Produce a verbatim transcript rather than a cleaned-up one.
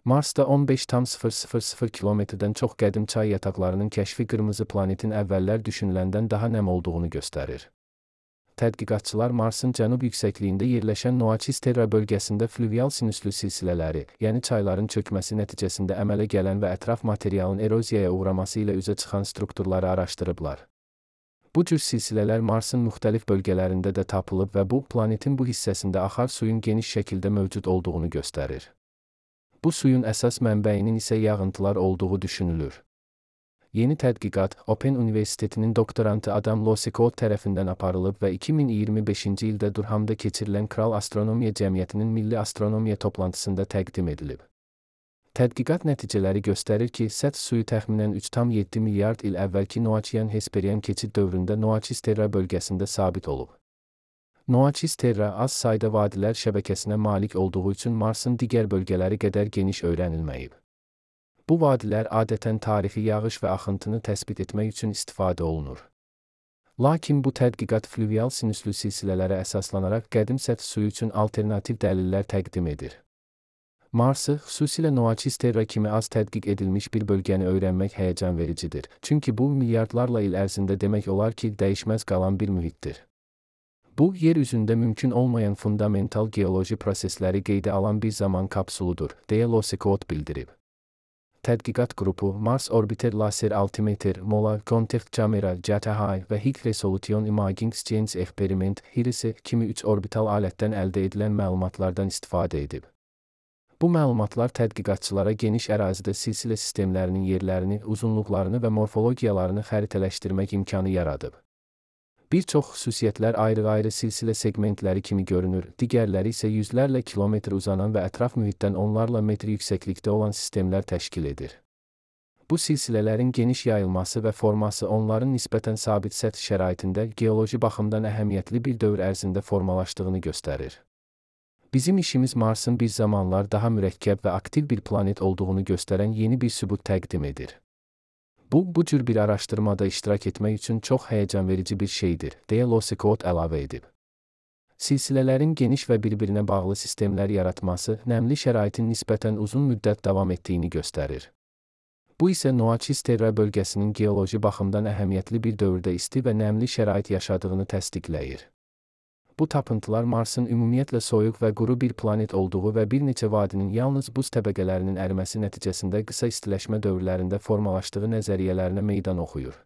Marsda on beş tam sıfır sıfır sıfır kilometrdən çox qədim çay yataqlarının kəşfi qırmızı planetin əvvəllər düşünüləndən daha nəm olduğunu göstərir. Tədqiqatçılar Marsın cənub yüksəkliyində yerləşən Noaçis Terra bölgəsində fluvial sinüslü silsilələri, yəni çayların çökməsi nəticəsində əmələ gələn və ətraf materialın eroziyaya uğraması ilə üzə çıxan strukturları araşdırıblar. Bu cür silsilələr Marsın müxtəlif bölgələrində də tapılıb və bu, planetin bu hissəsində axar suyun geniş şəkildə mövcud olduğunu göstərir. Bu suyun əsas mənbəyinin isə yağıntılar olduğu düşünülür. Yeni tədqiqat, Open Universitetinin doktorantı Adam Losekot tərəfindən aparılıb və iki min iyirmi beşinci ildə Durhamda keçirilən Kral Astronomiya Cəmiyyətinin Milli Astronomiya toplantısında təqdim edilib. Tədqiqat nəticələri göstərir ki, səth suyu təxminən üç tam yeddi milyard il əvvəlki Noaçiyan-Hesperian keçid dövründə Noaçis Terra bölgəsində sabit olub. Noaçis Terra az sayda vadilər şəbəkəsinə malik olduğu üçün Marsın digər bölgələri qədər geniş öyrənilməyib. Bu vadilər adətən tarixi yağış və axıntını təsbit etmək üçün istifadə olunur. Lakin bu tədqiqat fluvial sinüslü silsilələrə əsaslanaraq qədim səth suyu üçün alternativ dəlillər təqdim edir. Marsı, xüsusilə Noaçis Terra kimi az tədqiq edilmiş bir bölgəni öyrənmək həyəcan vericidir. Çünki bu, milyardlarla il ərzində demək olar ki, dəyişməz qalan bir mühitdir. Bu, yer üzündə mümkün olmayan fundamental geoloji prosesləri qeydə alan bir zaman kapsuludur, deyə Losekot bildirib. Tədqiqat qrupu Mars Orbiter Laser Altimeter, Mola, Contact Camera, J T H və High Resolution Imaging Science Experiment (HIRIS) kimi üç orbital alətdən əldə edilən məlumatlardan istifadə edib. Bu məlumatlar tədqiqatçılara geniş ərazidə silsilə sistemlərinin yerlərini, uzunluqlarını və morfologiyalarını xəritələşdirmək imkanı yaradıb. Bir çox xüsusiyyətlər ayrı-ayrı silsilə segmentləri kimi görünür, digərləri isə yüzlərlə kilometr uzanan və ətraf mühitdən onlarla metr yüksəklikdə olan sistemlər təşkil edir. Bu silsilələrin geniş yayılması və forması onların nisbətən sabit səth şəraitində geoloji baxımdan əhəmiyyətli bir dövr ərzində formalaşdığını göstərir. Bizim işimiz Marsın bir zamanlar daha mürəkkəb və aktiv bir planet olduğunu göstərən yeni bir sübut təqdim edir. Bu, bu cür bir araşdırmada iştirak etmək üçün çox həyəcanverici bir şeydir, deyə Losekot əlavə edib. Silsilələrin geniş və bir-birinə bağlı sistemlər yaratması, nəmli şəraitin nisbətən uzun müddət davam etdiyini göstərir. Bu isə Noaçis Terra bölgəsinin geoloji baxımdan əhəmiyyətli bir dövrdə isti və nəmli şərait yaşadığını təsdiqləyir. Bu tapıntılar Marsın ümumiyyətlə soyuq və quru bir planet olduğu və bir neçə vadinin yalnız buz təbəqələrinin əriməsi nəticəsində qısa istiləşmə dövrlərində formalaşdığı nəzəriyyələrinə meydan oxuyur.